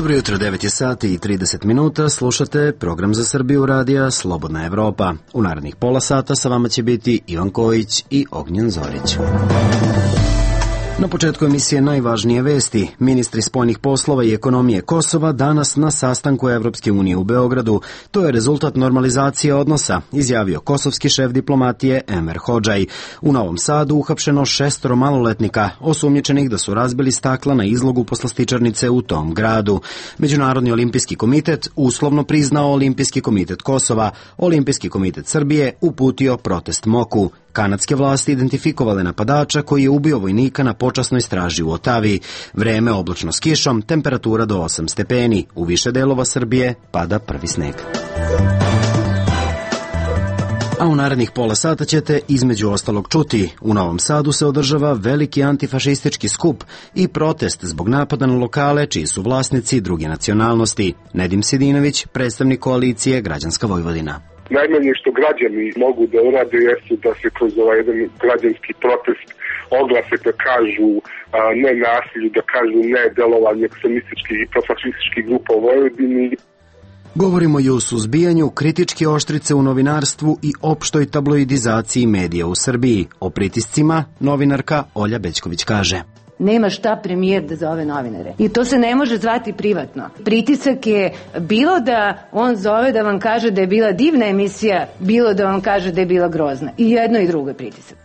Dobro jutro, 9 je sati i 30 minuta, slušate program za Srbiju radija Slobodna Evropa. U narednih pola sata sa vama će biti Ivan Kojić i Ognjen Zorić. Na početku emisije najvažnije vesti. Ministri spoljnih poslova i ekonomije Kosova danas na sastanku Evropske unije u Beogradu. To je rezultat normalizacije odnosa, izjavio kosovski šef diplomatije Enver Hodžaj. U Novom Sadu uhapšeno 6 maloletnika, osumnjičenih da su razbili stakla na izlogu poslastičarnice u tom gradu. Međunarodni olimpijski komitet uslovno priznao Olimpijski komitet Kosova. Olimpijski komitet Srbije uputio protest MOK-u. Kanadske vlasti identifikovale napadača koji je ubio vojnika na počasnoj straži u Otavi. Vreme oblačno s kišom, temperatura do 8 stepeni. U više delova Srbije pada prvi sneg. A u narednih pola sata ćete između ostalog čuti. U Novom Sadu se održava veliki antifašistički skup i protest zbog napada na lokale čiji su vlasnici druge nacionalnosti. Nedim Sidinović, predstavnik koalicije Građanska Vojvodina. Najmanje što građani mogu da urade jeste da se kroz ovaj jedan građanski protest oglase da kažu ne nasilju, da kažu ne delovanju ekstremističkih i profašističkih grupa u Vojvodini. Govorimo i o suzbijanju kritičke oštrice u novinarstvu i opštoj tabloidizaciji medija u Srbiji. O pritiscima novinarka Olja Bećković kaže: Nema šta premijer da zove novinare. I to se ne može zvati privatno. Pritisak je bilo da on zove da vam kaže da je bila divna emisija, bilo da vam kaže da je bila grozna. I jedno i drugo je pritisak.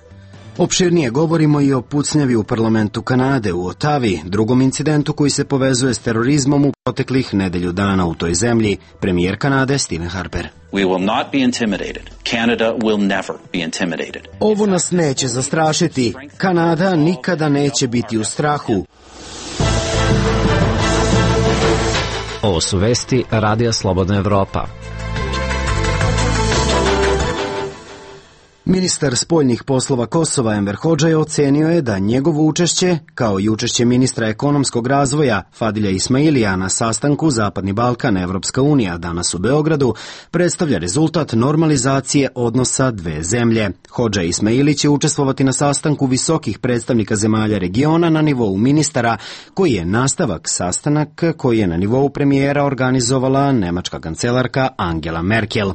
Opširnije govorimo i o pucnjavi u parlamentu Kanade u Otavi, drugom incidentu koji se povezuje s terorizmom u proteklih nedelju dana u toj zemlji. Premijer Kanade Stephen Harper. We will not be intimidated. Canada will never be intimidated. Ovo nas neće zastrašiti. Kanada nikada neće biti u strahu. Ovo su vesti Radija Slobodna Evropa. Ministar spoljnih poslova Kosova Enver Hodžaj ocenio je da njegovo učešće, kao i učešće ministra ekonomskog razvoja Fadilja Ismailija na sastanku Zapadni Balkan Evropska unija danas u Beogradu, predstavlja rezultat normalizacije odnosa dve zemlje. Hodžaj Ismaili će učestvovati na sastanku visokih predstavnika zemalja regiona na nivou ministara, koji je nastavak sastanak koji je na nivou premijera organizovala nemačka kancelarka Angela Merkel.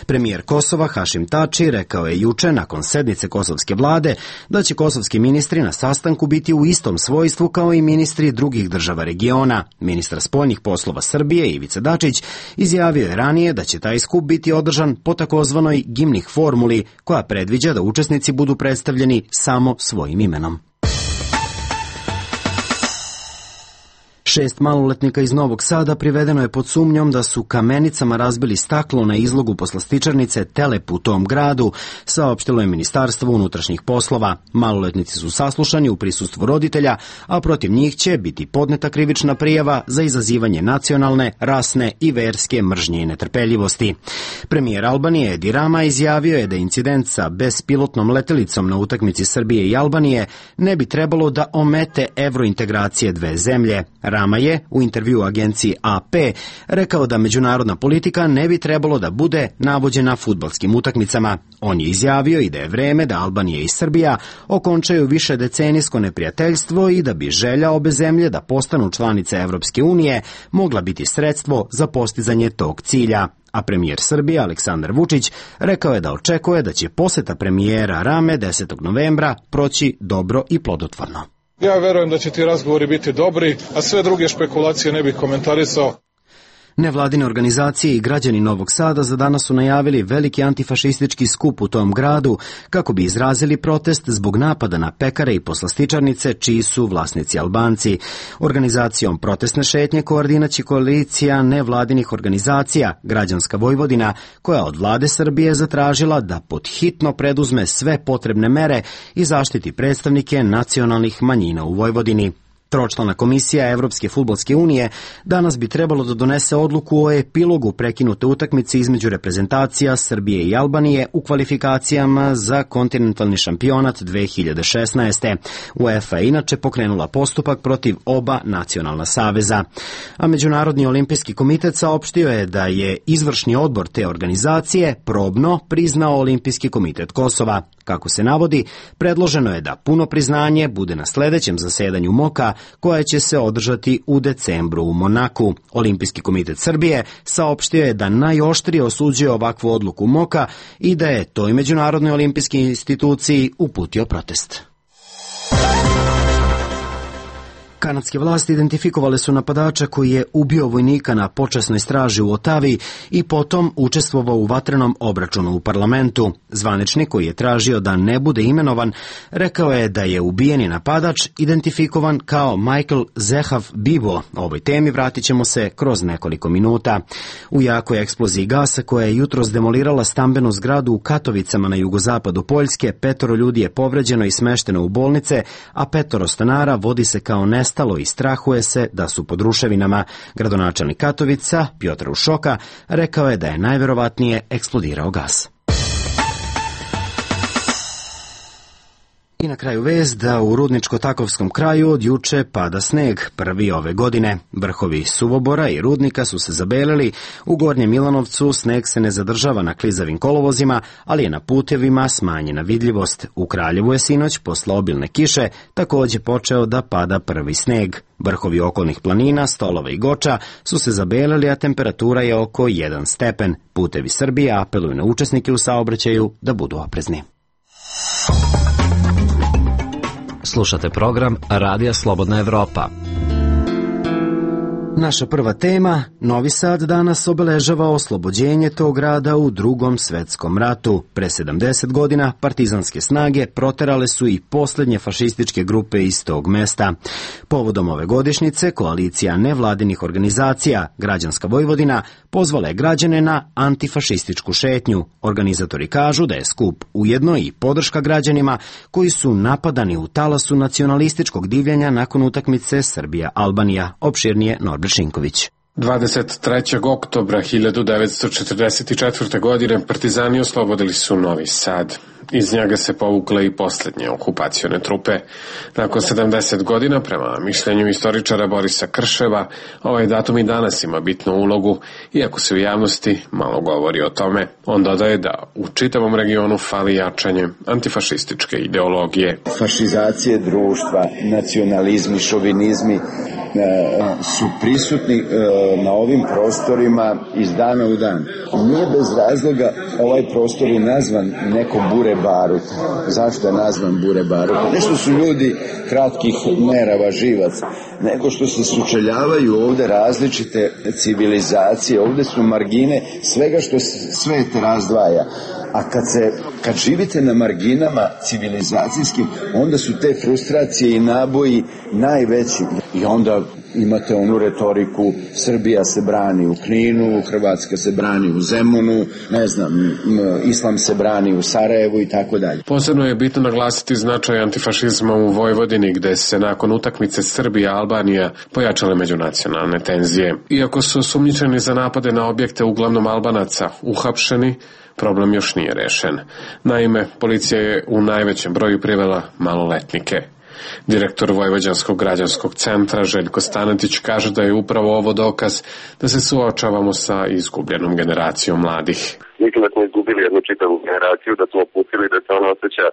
Premijer Kosova Hašim Tači rekao je juče nakon sednice kosovske vlade da će kosovski ministri na sastanku biti u istom svojstvu kao i ministri drugih država regiona. Ministar spoljnih poslova Srbije Ivica Dačić izjavio je ranije da će taj skup biti održan po takozvanoj Gimnih formuli, koja predviđa da učesnici budu predstavljeni samo svojim imenom. 6 maloletnika iz Novog Sada privedeno je pod sumnjom da su kamenicama razbili staklo na izlogu poslastičarnice Telep u tom gradu, saopštilo je Ministarstvo unutrašnjih poslova. Maloletnici su saslušani u prisustvu roditelja, a protiv njih će biti podneta krivična prijava za izazivanje nacionalne, rasne i verske mržnje i netrpeljivosti. Premijer Albanije Edi Rama izjavio je da incident sa bespilotnom letelicom na utakmici Srbije i Albanije ne bi trebalo da omete evrointegracije dve zemlje. Rama je u intervjuu agenciji AP rekao da međunarodna politika ne bi trebalo da bude navođena fudbalskim utakmicama. On je izjavio i da je vreme da Albanija i Srbija okončaju više decenijsko neprijateljstvo i da bi želja obe zemlje da postanu članice Evropske unije mogla biti sredstvo za postizanje tog cilja. A premijer Srbije Aleksandar Vučić rekao je da očekuje da će poseta premijera Rame 10. novembra proći dobro i plodotvorno. Ja verujem da će ti razgovori biti dobri, a sve druge špekulacije ne bih komentarisao. Nevladine organizacije i građani Novog Sada za danas su najavili veliki antifašistički skup u tom gradu kako bi izrazili protest zbog napada na pekare i poslastičarnice čiji su vlasnici Albanci. Organizacijom protestne šetnje koordinaće koalicija nevladinih organizacija Građanska Vojvodina, koja od vlade Srbije zatražila da podhitno preduzme sve potrebne mere i zaštiti predstavnike nacionalnih manjina u Vojvodini. Tročlana komisija Evropske fudbalske unije danas bi trebalo da donese odluku o epilogu prekinute utakmice između reprezentacija Srbije i Albanije u kvalifikacijama za kontinentalni šampionat 2016. UEFA je inače pokrenula postupak protiv oba nacionalna saveza. A Međunarodni olimpijski komitet saopštio je da je izvršni odbor te organizacije probno priznao Olimpijski komitet Kosova. Kako se navodi, predloženo je da puno priznanje bude na sledećem zasedanju MOK-a koja će se održati u decembru u Monaku. Olimpijski komitet Srbije saopštio je da najoštrije osuđuje ovakvu odluku MOKA i da je toj Međunarodnoj olimpijskoj instituciji uputio protest. Kanadske vlasti identifikovale su napadača koji je ubio vojnika na počasnoj straži u Otavi i potom učestvovao u vatrenom obračunu u parlamentu. Zvaničnik koji je tražio da ne bude imenovan rekao je da je ubijeni napadač identifikovan kao Michael Zehav Bibo. O ovoj temi vratit ćemo se kroz nekoliko minuta. U jakoj eksploziji gasa koja je jutros demolirala stambenu zgradu u Katovicama na jugozapadu Poljske, 5 ljudi je povređeno i smešteno u bolnice, a 5 stanara vodi se kao nestalo i strahuje se da su pod ruševinama. Gradonačelnik Katovica, Pjotr Ušoka, rekao je da je najverovatnije eksplodirao gas. I na kraju vest da u Rudničko-Takovskom kraju od juče pada sneg, prvi ove godine. Vrhovi Suvobora i Rudnika su se zabelili, u Gornjem Milanovcu sneg se ne zadržava na klizavim kolovozima, ali je na putevima smanjena vidljivost. U Kraljevu je sinoć posle obilne kiše takođe počeo da pada prvi sneg. Vrhovi okolnih planina, Stolova i Goča su se zabelili, a temperatura je oko 1 stepen. Putevi Srbije apeluju na učesnike u saobraćaju da budu oprezni. Slušate program Radija Slobodna Evropa. Naša prva tema, Novi Sad danas obeležava oslobođenje tog grada u Drugom svetskom ratu. Pre 70 godina partizanske snage proterale su i posljednje fašističke grupe iz tog mesta. Povodom ove godišnjice, koalicija nevladinih organizacija Građanska Vojvodina pozvala je građane na antifašističku šetnju. Organizatori kažu da je skup ujedno i podrška građanima koji su napadani u talasu nacionalističkog divljanja nakon utakmice Srbija-Albanija. Opširnije Norbert Šinković. 23. oktobra 1944. godine partizani oslobodili su Novi Sad. Iz njega se povukle i posljednje okupacione trupe. Nakon 70 godina, prema mišljenju istoričara Borisa Krševa, ovaj datum i danas ima bitnu ulogu, iako se u javnosti malo govori o tome. On dodaje da u čitavom regionu fali jačanje antifašističke ideologije. Fašizacije društva, nacionalizmi, šovinizmi su prisutni na ovim prostorima iz dana u dan. Nije bez razloga ovaj prostor je nazvan neko bure barut. Zašto je nazvan bure barut? Ne što su ljudi kratkih nerava, živac, nego što se sučeljavaju ovde različite civilizacije, ovde su margine svega što svet razdvaja. A kad živite na marginama civilizacijskim, onda su te frustracije i naboji najveći. I onda imate onu retoriku, Srbija se brani u Kninu, Hrvatska se brani u Zemunu, ne znam, Islam se brani u Sarajevu i tako dalje. Posebno je bitno naglasiti značaj antifašizma u Vojvodini, gde se nakon utakmice Srbija-Albanija pojačale međunacionalne tenzije. Iako su osumnjičeni za napade na objekte uglavnom Albanaca uhapšeni, problem još nije rešen. Naime, policija je u najvećem broju privela maloletnike. Direktor Vojvođanskog građanskog centra Željko Stanetić kaže da je upravo ovo dokaz da se suočavamo sa izgubljenom generacijom mladih. Mislim da smo izgubili jednu čitavu generaciju, da smo pustili da se ona osjeća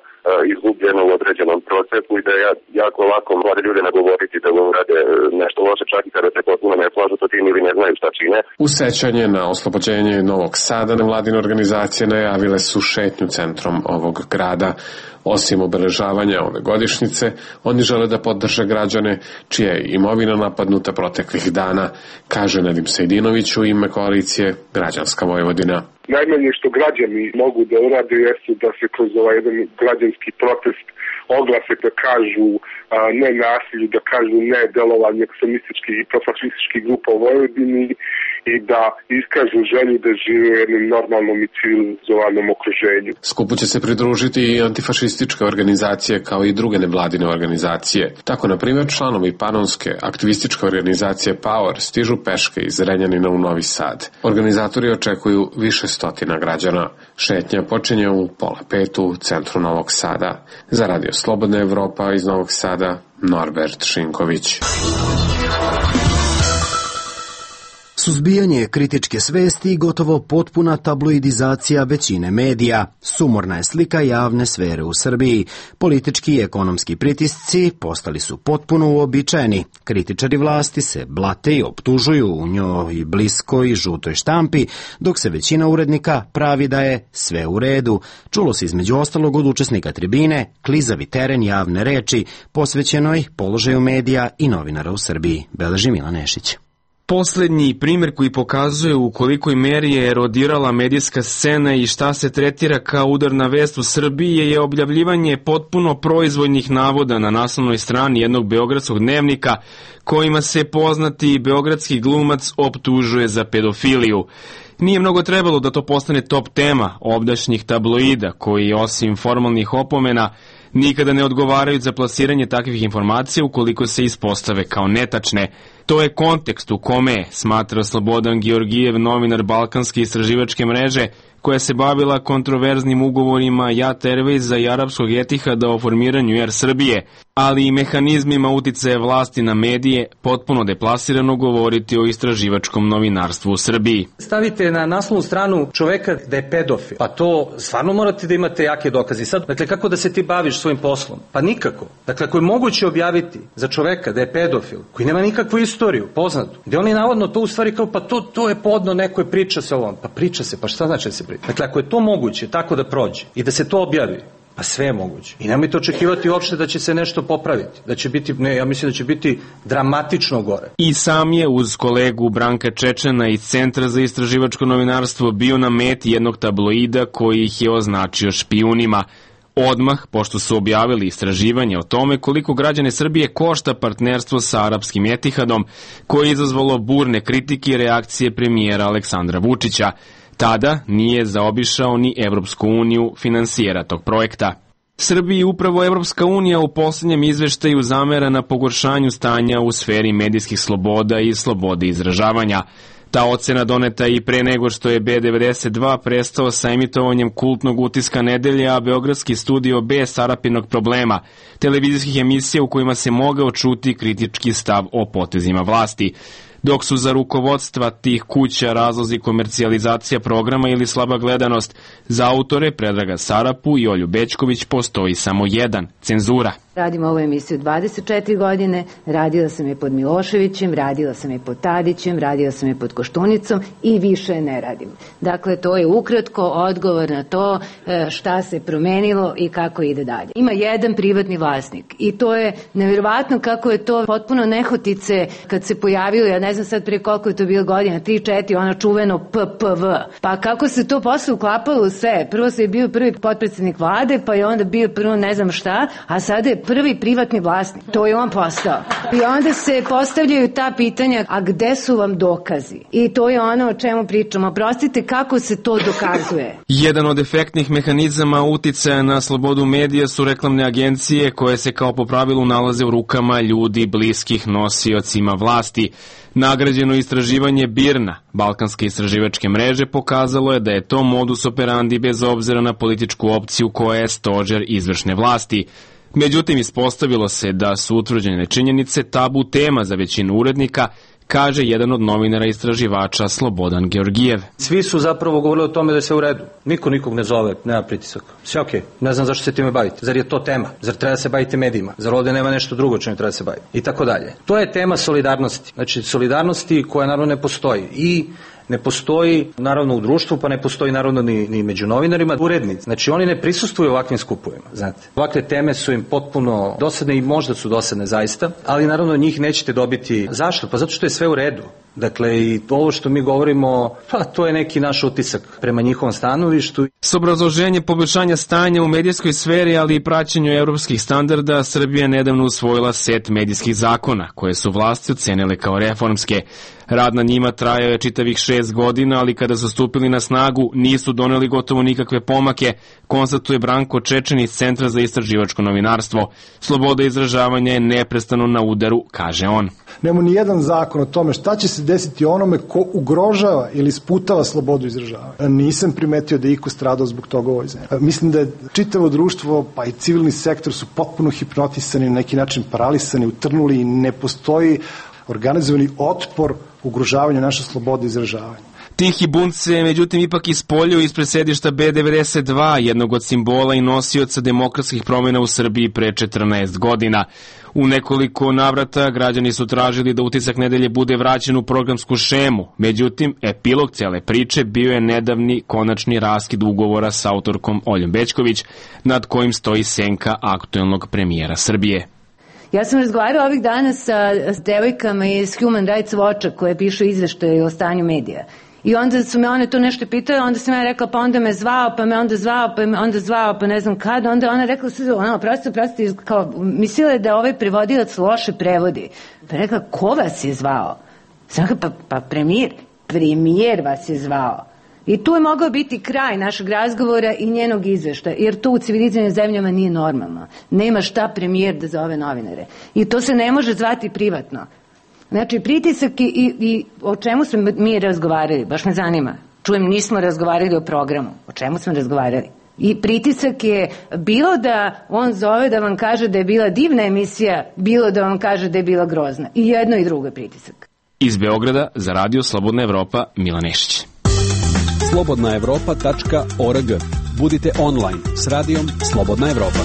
izgubljeno u određenom procesu i da je jako lako mlade ljude nagovoriti da urade nešto loše, čak i kada se potpuno ne slažu sa tim ili ne znaju šta čine. U sećanje na oslobođenje Novog Sada nevladine organizacije najavile su šetnju centrom ovog grada. Osim obeležavanja ove godišnjice, oni žele da podrže građane čija je imovina napadnuta proteklih dana, kaže Nedim Sejdinović u ime koalicije Građanska Vojvodina. Najmanje što građani mogu da urade jeste da se kroz ovaj jedan građanski protest oglase da kažu ne nasilju, da kažu ne delovanju ekstremističkih i profašističkih grupa u Vojvodini i da iskažu želju da žive u jednom normalnom i civilizovanom okruženju. Skupu će se pridružiti i antifašističke organizacije kao i druge nevladine organizacije. Tako, na primjer, članovi panonske aktivističke organizacije Power stižu peške iz Renjanina u Novi Sad. Organizatori očekuju više stotina građana. Šetnja počinje u 4:30 u centru Novog Sada. Za Radio Slobodna Evropa iz Novog Sada, Norbert Šinković. Suzbijanje kritičke svesti i gotovo potpuna tabloidizacija većine medija. Sumorna je slika javne sfere u Srbiji. Politički i ekonomski pritisci postali su potpuno uobičajeni. Kritičari vlasti se blate i optužuju u njoj bliskoj žutoj štampi, dok se većina urednika pravi da je sve u redu. Čulo se između ostalog od učesnika tribine klizavi teren javne reči posvećenoj položaju medija i novinara u Srbiji. Beleži Milan Nešić. Poslednji primjer koji pokazuje u kolikoj meri je erodirala medijska scena i šta se tretira kao udarna vest u Srbiji je objavljivanje potpuno proizvoljnih navoda na naslovnoj strani jednog beogradskog dnevnika kojima se poznati beogradski glumac optužuje za pedofiliju. Nije mnogo trebalo da to postane top tema ovdašnjih tabloida koji osim formalnih opomena nikada ne odgovaraju za plasiranje takvih informacija ukoliko se ispostave kao netačne. To je kontekst u kome, smatra Slobodan Georgijev, novinar Balkanske istraživačke mreže, koja se bavila kontroverznim ugovorima Jat Airwaysa i arapskog Etihada o formiranju Air Srbije, ali i mehanizmima uticaja vlasti na medije, potpuno deplasirano govoriti o istraživačkom novinarstvu u Srbiji. Stavite na naslovnu stranu čoveka da je pedofil, pa to stvarno morate da imate jake dokaze. Sad, dakle, kako da se ti baviš svojim poslom? Pa nikako. Dakle, ako je moguće objaviti za čoveka da je pedofil, koji nema nikakvu istoriju, poznatu, gde oni navodno to u stvari kao, pa to je podno, neko je priča se ovom. Pa priča se, pa šta znači da se priča? Dakle, ako je to moguće tako da prođe i da se to objavi, pa sve je moguće. I nemojte očekivati uopšte da će se nešto popraviti. Da će biti, ja mislim da će biti dramatično gore. I sam je uz kolegu Branka Čečena iz Centra za istraživačko novinarstvo bio na meti jednog tabloida koji ih je označio špijunima. Odmah, pošto su objavili istraživanje o tome koliko građane Srbije košta partnerstvo sa arapskim Etihadom, koje je izazvalo burne kritike i reakcije premijera Aleksandra Vučića. Tada nije zaobišao ni Evropsku uniju, finansijera tog projekta. Srbiji upravo Evropska unija u poslednjem izveštaju zamera na pogoršanju stanja u sferi medijskih sloboda i slobode izražavanja. Ta ocena doneta i pre nego što je B92 prestao sa emitovanjem kultnog utiska nedelje, a beogradski studio B Sarapinog problema, televizijskih emisija u kojima se mogao čuti kritički stav o potezima vlasti. Dok su za rukovodstva tih kuća razlozi komercijalizacija programa ili slaba gledanost, za autore Predraga Sarapu i Olju Bećković postoji samo jedan – cenzura. Radim ovu emisiju 24 godine, radila sam je pod Miloševićem, radila sam je pod Tadićem, radila sam je pod Koštunicom i više ne radim. Dakle, to je ukratko odgovor na to šta se promenilo i kako ide dalje. Ima jedan privatni vlasnik i to je nevjerovatno kako je to potpuno nehotice kad se pojavilo, ja ne znam sad prije koliko je to bilo godina, 3-4, ono čuveno PPV. Pa kako se to posle uklapalo u sve? Prvo se je bio prvi potpredsjednik vlade, pa je onda bio prvo ne znam šta, a sada je prvi privatni vlasnik. To je on postao. I onda se postavljaju ta pitanja, a gde su vam dokazi? I to je ono o čemu pričamo. Prostite, kako se to dokazuje? Jedan od efektnih mehanizama uticaja na slobodu medija su reklamne agencije koje se kao po pravilu nalaze u rukama ljudi bliskih nosiocima vlasti. Nagrađeno istraživanje BIRNA, Balkanske istraživačke mreže, pokazalo je da je to modus operandi bez obzira na političku opciju koja je stožer izvršne vlasti. Međutim, ispostavilo se da su utvrđene činjenice tabu tema za većinu urednika, kaže jedan od novinara istraživača Slobodan Georgijev. Svi su zapravo govorili o tome da je sve u redu. Niko nikog ne zove, nema pritisak. Sve okej. Ne znam zašto se time bavite. Zar je to tema? Zar treba da se bavite medijima? Zar ovde nema nešto drugo čemu treba da se bavite? I tako dalje. To je tema solidarnosti. Znači, solidarnosti koja naravno ne postoji. I ne postoji naravno u društvu, pa ne postoji naravno ni među novinarima, urednici. Znači oni ne prisustvuju ovakvim skupovima, znate. Ovakve teme su im potpuno dosadne i možda su dosadne zaista, ali naravno njih nećete dobiti. Zašto? Pa zato što je sve u redu. Dakle, i ovo što mi govorimo, pa to je neki naš utisak prema njihovom stanovištu. S obrazloženjem poboljšanja stanja u medijskoj sferi, ali i praćenju evropskih standarda, Srbija nedavno usvojila set medijskih zakona, koje su vlasti ocenile kao reformske. Rad na njima trajao je čitavih 6 godina, ali kada su stupili na snagu nisu doneli gotovo nikakve pomake, konstatuje Branko Čečen iz Centra za istraživačko novinarstvo. Sloboda izražavanja je neprestano na udaru, kaže on. Nema ni jedan zakon o tome šta će se desiti onome ko ugrožava ili sputava slobodu izražavanja. Nisam primetio da je iko stradao zbog toga u ovoj zemlji. Mislim da je čitavo društvo, pa i civilni sektor su potpuno hipnotisani, na neki način paralisani, utrnuli i ne postoji organizovani otpor ugrožavanju naše slobode izražavanja. Tihi bunt se, međutim, ipak ispoljio ispred sedišta B92, jednog od simbola i nosioca demokratskih promjena u Srbiji pre 14 godina. U nekoliko navrata građani su tražili da Utisak nedelje bude vraćen u programsku šemu. Međutim, epilog cele priče bio je nedavni konačni raskid ugovora sa autorkom Oljom Bećković, nad kojim stoji senka aktuelnog premijera Srbije. Ja sam razgovarala ovih dana sa devojkama iz Human Rights Watcha koje pišu izveštaje o stanju medija. I onda su me one to nešto pitale, onda sam ja rekla, pa onda me zvao, pa me onda zvao, pa me onda zvao, pa ne znam kada. Onda ona rekla, prosti, kao, mislila je da ovaj prevodilac loše prevodi. Pa rekla, ko vas je zvao? Sam rekla, pa premijer vas je zvao. I tu je mogao biti kraj našeg razgovora i njenog izveštaja, jer to u civilizovanim zemljama nije normalno. Nema šta premijer da zove novinare. I to se ne može zvati privatno. Znači, pritisak i o čemu smo mi razgovarali, baš me zanima. Čujem, nismo razgovarali o programu. O čemu smo razgovarali? I pritisak je bilo da on zove da vam kaže da je bila divna emisija, bilo da vam kaže da je bila grozna. I jedno i drugo je pritisak. Iz Beograda za Radio Slobodna Evropa, Milan Nešić. slobodnaevropa.org. Budite online s radijom Slobodna Evropa.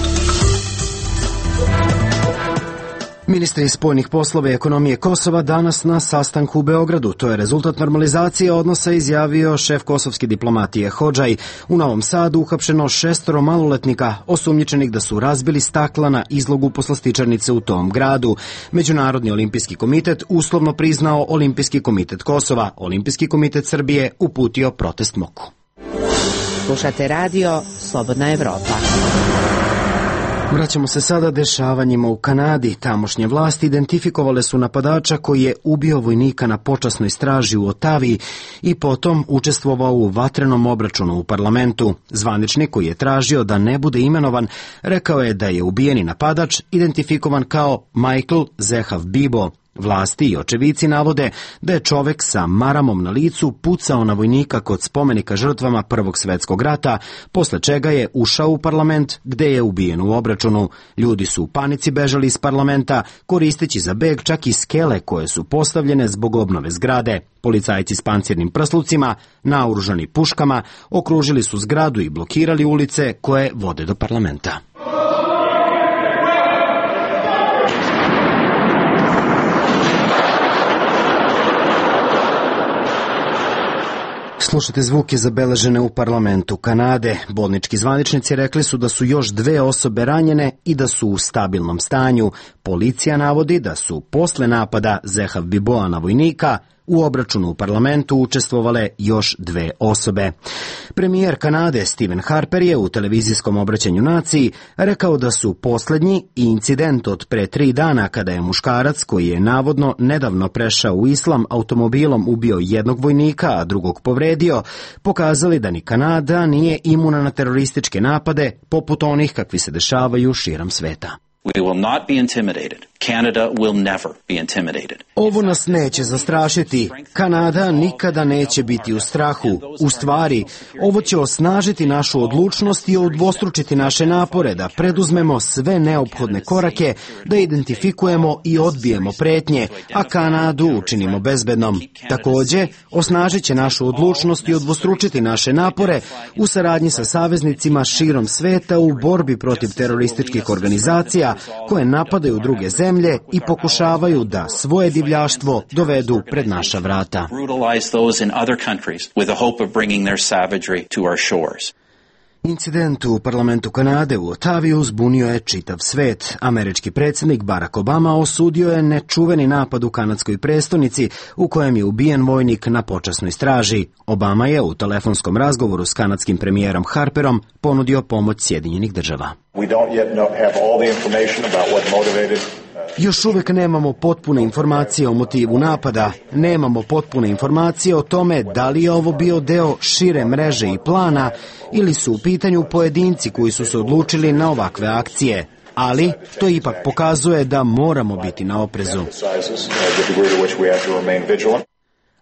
Ministri spoljnih poslova i ekonomije Kosova danas na sastanku u Beogradu. To je rezultat normalizacije odnosa, izjavio šef kosovske diplomatije Hodžaj. U Novom Sadu uhapšeno 6 maloletnika osumnjičenih da su razbili stakla na izlogu poslastičarnice u tom gradu. Međunarodni olimpijski komitet uslovno priznao Olimpijski komitet Kosova. Olimpijski komitet Srbije uputio protest MOK-u. Slušate radio Slobodna Evropa. Vraćamo se sada dešavanjima u Kanadi. Tamošnje vlasti identifikovale su napadača koji je ubio vojnika na počasnoj straži u Otaviji i potom učestvovao u vatrenom obračunu u parlamentu. Zvaničnik koji je tražio da ne bude imenovan rekao je da je ubijeni napadač identifikovan kao Michael Zehav Bibo. Vlasti i očevici navode da je čovek sa maramom na licu pucao na vojnika kod spomenika žrtvama Prvog svetskog rata, posle čega je ušao u parlament gde je ubijen u obračunu. Ljudi su u panici bežali iz parlamenta, koristeći za beg čak i skele koje su postavljene zbog obnove zgrade. Policajci s pancirnim prslucima, naoružani puškama, okružili su zgradu i blokirali ulice koje vode do parlamenta. Slušate zvuke zabeležene u parlamentu Kanade. Bolnički zvaničnici rekli su da su još 2 osobe ranjene i da su u stabilnom stanju. Policija navodi da su posle napada Zehav Biboa na vojnika u obračunu u parlamentu učestvovale još 2 osobe. Premijer Kanade Stephen Harper je u televizijskom obraćanju naciji rekao da su poslednji i incident od pre 3 dana kada je muškarac koji je navodno nedavno prešao u islam automobilom ubio jednog vojnika, a drugog povredio, pokazali da ni Kanada nije imuna na terorističke napade poput onih kakvi se dešavaju širom sveta. We will not be intimidated. Canada will never be intimidated. Ovo nas neće zastrašiti. Kanada nikada neće biti u strahu. U stvari, ovo će osnažiti našu odlučnost i udvostručiti naše napore da preduzmemo sve neophodne korake, da identifikujemo i odbijemo pretnje, a Kanadu učinimo bezbednom. Takođe, osnažit će našu odlučnost i udvostručiti naše napore u saradnji sa saveznicima širom sveta u borbi protiv terorističkih organizacija koje napadaju druge zemlje i pokušavaju da svoje divljaštvo dovedu pred naša vrata. Incident u parlamentu Kanade u Otaviju zbunio je čitav svet. Američki predsjednik Barack Obama osudio je nečuveni napad u kanadskoj prestonici u kojem je ubijen vojnik na počasnoj straži. Obama je u telefonskom razgovoru s kanadskim premijerom Harperom ponudio pomoć Sjedinjenih država. Još uvek nemamo potpune informacije o motivu napada, nemamo potpune informacije o tome da li je ovo bio deo šire mreže i plana ili su u pitanju pojedinci koji su se odlučili na ovakve akcije. Ali to ipak pokazuje da moramo biti na oprezu.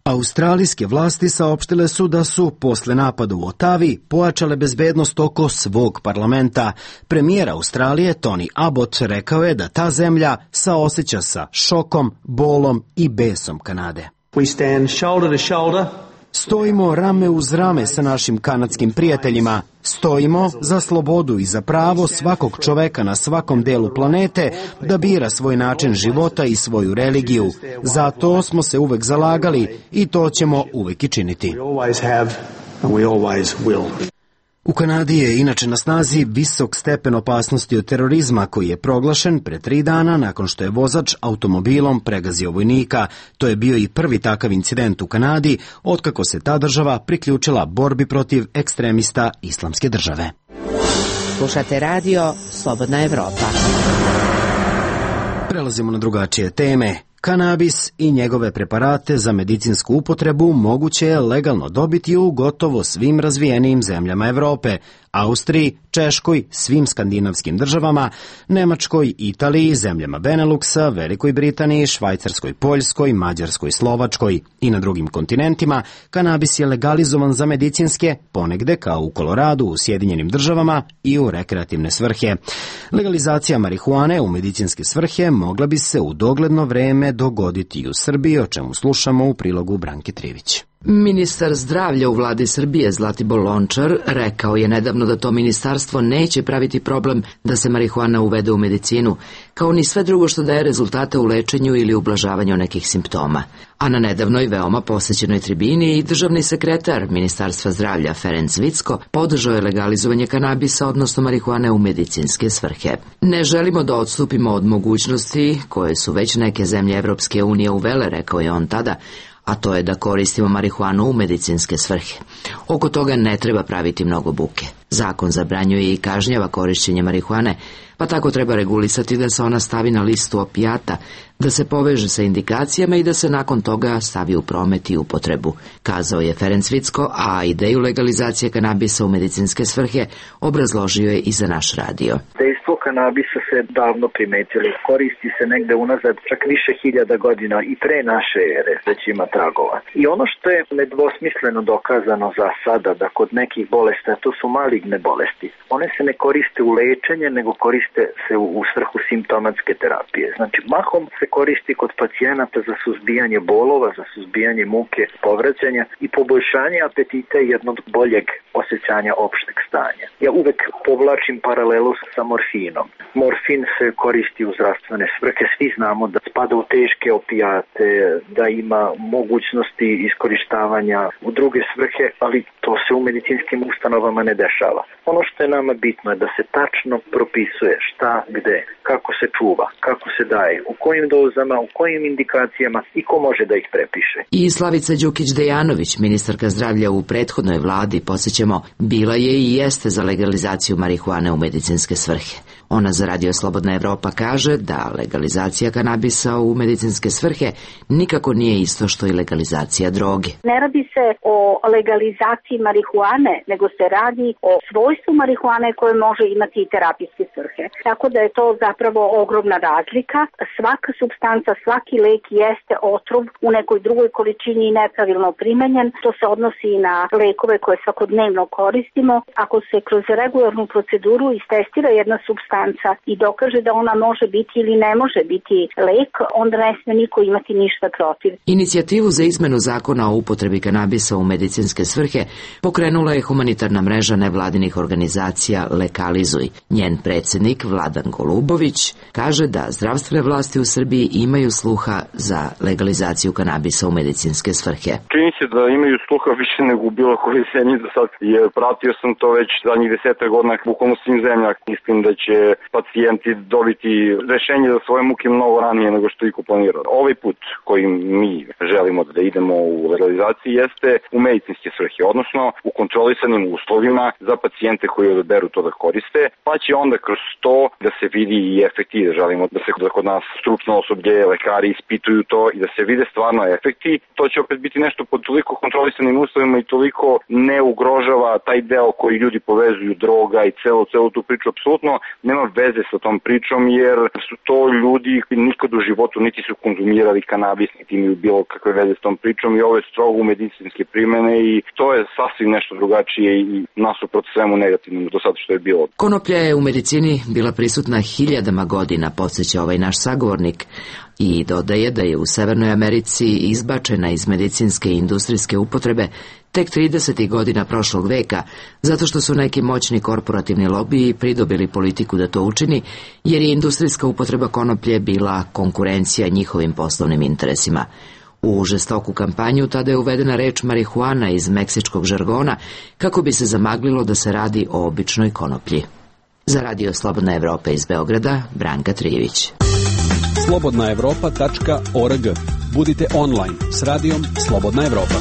Australijske vlasti saopštile su da su, posle napada u Otavi, pojačale bezbednost oko svog parlamenta. Premijer Australije Tony Abbott rekao je da ta zemlja saoseća sa šokom, bolom i besom Kanade. We stand shoulder to shoulder. Stojimo rame uz rame sa našim kanadskim prijateljima. Stojimo za slobodu i za pravo svakog čoveka na svakom delu planete da bira svoj način života i svoju religiju. Zato smo se uvek zalagali i to ćemo uvek i činiti. U Kanadi je inače na snazi visok stepen opasnosti od terorizma koji je proglašen pre 3 dana nakon što je vozač automobilom pregazio vojnika. To je bio i prvi takav incident u Kanadi otkako se ta država priključila borbi protiv ekstremista Islamske države. Slušate radio Slobodna Evropa. Prelazimo na drugačije teme. Kanabis i njegove preparate za medicinsku upotrebu moguće je legalno dobiti u gotovo svim razvijenijim zemljama Evrope, Austriji, Češkoj, svim skandinavskim državama, Nemačkoj, Italiji, zemljama Beneluksa, Velikoj Britaniji, Švajcarskoj, Poljskoj, Mađarskoj, Slovačkoj i na drugim kontinentima. Kanabis je legalizovan za medicinske, ponegde kao u Koloradu, u Sjedinjenim državama i u rekreativne svrhe. Legalizacija marihuane u medicinske svrhe mogla bi se u dogledno vreme dogoditi i u Srbiji, o čemu slušamo u prilogu Branke Trivić. Ministar zdravlja u vladi Srbije Zlatibor Lončar rekao je nedavno da to ministarstvo neće praviti problem da se marihuana uvede u medicinu, kao ni sve drugo što daje rezultate u lečenju ili ublažavanju nekih simptoma. A na nedavnoj veoma posećenoj tribini i državni sekretar Ministarstva zdravlja Ferenc Vicko podržao je legalizovanje kanabisa, odnosno marihuane u medicinske svrhe. Ne želimo da odstupimo od mogućnosti koje su već neke zemlje Evropske unije uvele, rekao je on tada, a to je da koristimo marihuanu u medicinske svrhe. Oko toga ne treba praviti mnogo buke. Zakon zabranjuje i kažnjava korišćenje marihuane, pa tako treba regulisati da se ona stavi na listu opijata, da se poveže sa indikacijama i da se nakon toga stavi u promet i upotrebu, kazao je Ferenc Vicko, a ideju legalizacije kanabisa u medicinske svrhe obrazložio je i za naš radio. Dejstvo kanabisa se davno primetilo. Koristi se negde unazad čak više hiljada godina i pre naše ere već ima tragova. I ono što je nedvosmisleno dokazano za sada da kod nekih bolesti, to su maligne bolesti, one se ne koriste u lečenje, nego koriste se u svrhu simptomatske terapije. Znači, mahom se koristi kod pacijenata za suzbijanje bolova, za suzbijanje muke, povraćanja i poboljšanje apetita i jednog boljeg osjećanja opšteg stanja. Ja uvek povlačim paralelu sa morfinom. Morfin se koristi u zdravstvene svrhe. Svi znamo da spada u teške opijate, da ima mogućnosti iskorištavanja u druge svrhe, ali to se u medicinskim ustanovama ne dešava. Ono što je nama bitno je da se tačno propisuje šta, gde, kako se čuva, kako se daje, u kojim dozama, u kojim indikacijama i ko može da ih prepiše. I Slavica Đukić-Dejanović, ministarka zdravlja u prethodnoj vladi, podsjećamo, bila je i jeste za legalizaciju marihuane u medicinske svrhe. Ona za Radio Slobodna Evropa kaže da legalizacija kanabisa u medicinske svrhe nikako nije isto što i legalizacija droge. Ne radi se o legalizaciji marihuane, nego se radi o svojstvu marihuane koje može imati i terapijske svrhe. Tako da je to zapravo ogromna razlika. Svaka supstanca, svaki lek jeste otrov u nekoj drugoj količini i nepravilno primenjen. To se odnosi i na lekove koje svakodnevno koristimo. Ako se kroz regularnu proceduru istestira jedna supstanca i dokaže da ona može biti ili ne može biti lek, onda ne sme niko imati ništa protiv. Inicijativu za izmenu zakona o upotrebi kanabisa u medicinske svrhe pokrenula je humanitarna mreža nevladinih organizacija Legalizuj. Njen predsjednik Vladan Golubović kaže da zdravstvene vlasti u Srbiji imaju sluha za legalizaciju kanabisa u medicinske svrhe. Čini se da imaju sluha više nego u bilo kojoj zemlji do sad, jer pratio sam to već zadnjih 10 godina bukvalno svim zemljama. Mislim da će pacijenti dobiti rešenje za svoje muke mnogo ranije nego što iko planirao. Ovaj put kojim mi želimo da idemo u legalizaciji jeste u medicinske svrhe, odnosno u kontrolisanim uslovima za pacijente koji odaberu to da koriste, pa će onda kroz to da se vidi i efekti, da želimo da se kod nas stručno osoblje, lekari ispituju to i da se vide stvarno efekti. To će opet biti nešto pod toliko kontrolisanim uslovima i toliko ne ugrožava taj deo koji ljudi povezuju, droga i celu tu priču. Apsolutno nema veze sa tom pričom, jer su to ljudi koji nikad u životu niti su konzumirali kanabis, niti imaju bilo kakve veze s tom pričom i ovo je strogo u medicinske primene i to je sasvim nešto drugačije i nasuprot svemu negativnom do sada što je bilo. Konoplja je u medicini bila prisutna hiljadama godina, podsjeća ovaj naš sagovornik, i dodaje da je u Severnoj Americi izbačena iz medicinske i industrijske upotrebe tek 30. godina prošlog veka, zato što su neki moćni korporativni lobiji pridobili politiku da to učini, jer je industrijska upotreba konoplje bila konkurencija njihovim poslovnim interesima. U žestoku kampanju tada je uvedena reč marihuana iz meksičkog žargona kako bi se zamaglilo da se radi o običnoj konoplji. Za Radio Slobodna Evropa iz Beograda, Branka Trijević. slobodnaevropa.org. Budite online s radijom Slobodna Evropa.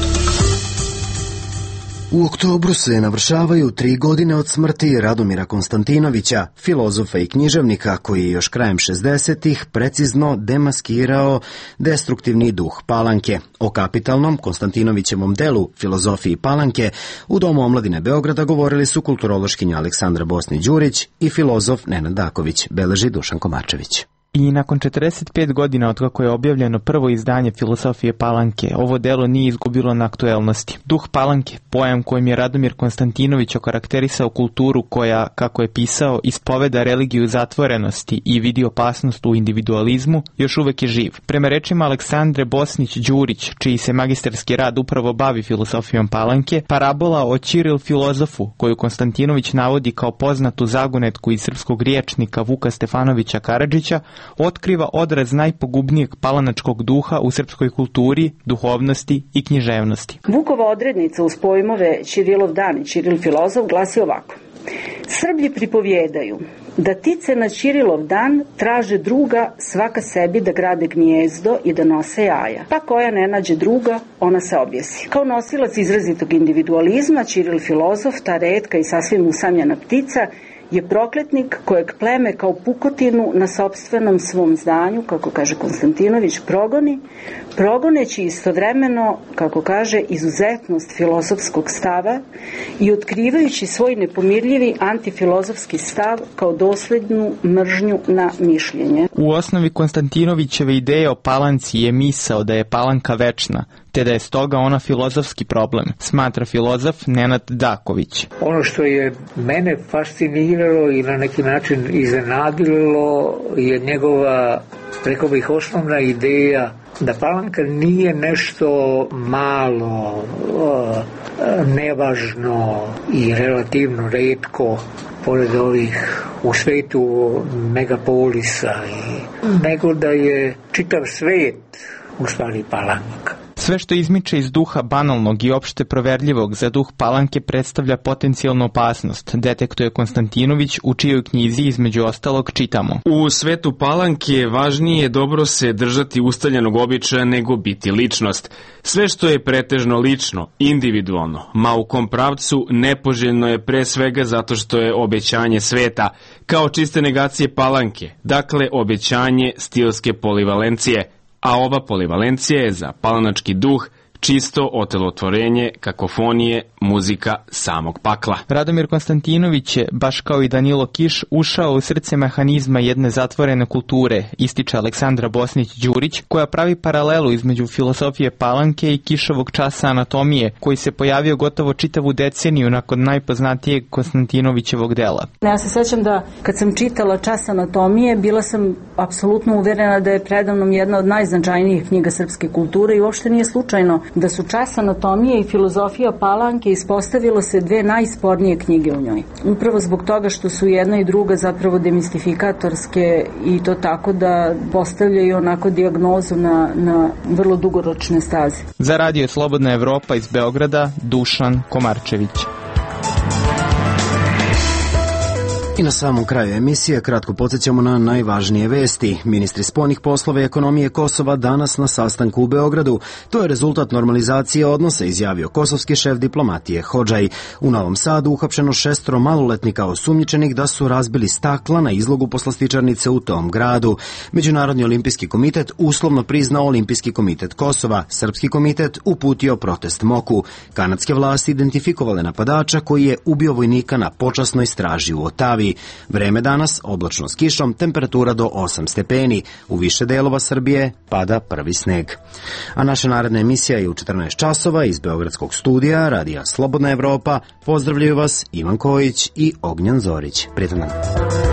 U oktobru se navršavaju 3 godine od smrti Radomira Konstantinovića, filozofa i književnika koji je još krajem 60-ih precizno demaskirao destruktivni duh Palanke. O kapitalnom Konstantinovićevom delu Filozofiji Palanke u Domu omladine Beograda govorili su kulturološkinja Aleksandra Bosni-Đurić i filozof Nenad Daković, beleži Dušan Komarčević. I nakon 45 godina od kako je objavljeno prvo izdanje Filozofije Palanke, ovo delo nije izgubilo na aktuelnosti. Duh Palanke, pojam kojim je Radomir Konstantinović okarakterisao kulturu koja, kako je pisao, ispoveda religiju zatvorenosti i vidi opasnost u individualizmu, još uvek je živ. Prema rečima Aleksandre Bosnić-Đurić, čiji se magistarski rad upravo bavi filozofijom Palanke, parabola o Ćiril filozofu, koju Konstantinović navodi kao poznatu zagonetku iz srpskog riječnika Vuka Stefanovića Karadžića, otkriva odraz najpogubnijeg palanačkog duha u srpskoj kulturi, duhovnosti i književnosti. Vukova odrednica uz pojmove Ćirilov dan i Ćiril filozof glasi ovako. Srblji pripovjedaju da tice na Ćirilov dan traže druga svaka sebi da grade gnijezdo i da nose jaja. Pa koja ne nađe druga, ona se objesi. Kao nosilac izrazitog individualizma, Ćiril filozof, ta retka i sasvim usamljena ptica, je prokletnik kojeg pleme kao pukotinu na sopstvenom svom zdanju, kako kaže Konstantinović, progoneći istovremeno, kako kaže, izuzetnost filozofskog stava i otkrivajući svoj nepomirljivi antifilozofski stav kao doslednu mržnju na mišljenje. U osnovi Konstantinovićeve ideje o Palanci je misao da je Palanka večna, te da je stoga ona filozofski problem, smatra filozof Nenad Daković. Ono što je mene fasciniralo i na neki način iznenadilo je njegova, rekao bih, osnovna ideja da Palanka nije nešto malo, nevažno i relativno retko pored ovih u svetu megapolisa, nego da je čitav svet u stvari Palanka. Sve što izmiče iz duha banalnog i opšte proverljivog za duh Palanke predstavlja potencijalnu opasnost, detektuje Konstantinović, u čijoj knjizi između ostalog čitamo. U svetu Palanke važnije je dobro se držati ustaljenog običaja nego biti ličnost. Sve što je pretežno lično, individualno, ma u kom pravcu, nepoželjno je pre svega zato što je obećanje sveta, kao čiste negacije Palanke, dakle obećanje stilske polivalencije, a ova polivalencija je za palanački duh čisto otelotvorenje kakofonije, muzika samog pakla. Radomir Konstantinović je, baš kao i Danilo Kiš, ušao u srce mehanizma jedne zatvorene kulture, ističe Aleksandra Bosnić-Đurić, koja pravi paralelu između filozofije Palanke i Kišovog časa anatomije, koji se pojavio gotovo čitavu deceniju nakon najpoznatijeg Konstantinovićevog dela. Ja se sećam da kad sam čitala čas anatomije, bila sam apsolutno uverena da je predavnom jedna od najznačajnijih knjiga srpske kulture i uopšte nije slučajno da su čas anatomije i filozofija Palanke ispostavilo se dve najspornije knjige u njoj. Upravo zbog toga što su jedna i druga zapravo demistifikatorske i to tako da postavljaju onako dijagnozu na vrlo dugoročne staze. Za Radio Slobodna Evropa iz Beograda, Dušan Komarčević. I na samom kraju emisije kratko podsjećamo na najvažnije vesti. Ministri spoljnih poslova i ekonomije Kosova danas na sastanku u Beogradu. To je rezultat normalizacije odnosa, izjavio kosovski šef diplomatije Hodžaj. U Novom Sadu uhapšeno 6 maloletnika osumnjičenih da su razbili stakla na izlogu poslastičarnice u tom gradu. Međunarodni olimpijski komitet uslovno priznao Olimpijski komitet Kosova. Srpski komitet uputio protest MOK-u. Kanadske vlasti identifikovale napadača koji je ubio vojnika na počasnoj straži u Otavi. Vreme danas oblačno s kišom, temperatura do 8 stepeni. U više delova Srbije pada prvi sneg. A naša naredna emisija je u 14 časova iz Beogradskog studija Radija Slobodna Evropa. Pozdravljaju vas Ivan Kojić i Ognjan Zorić. Prijetan dan.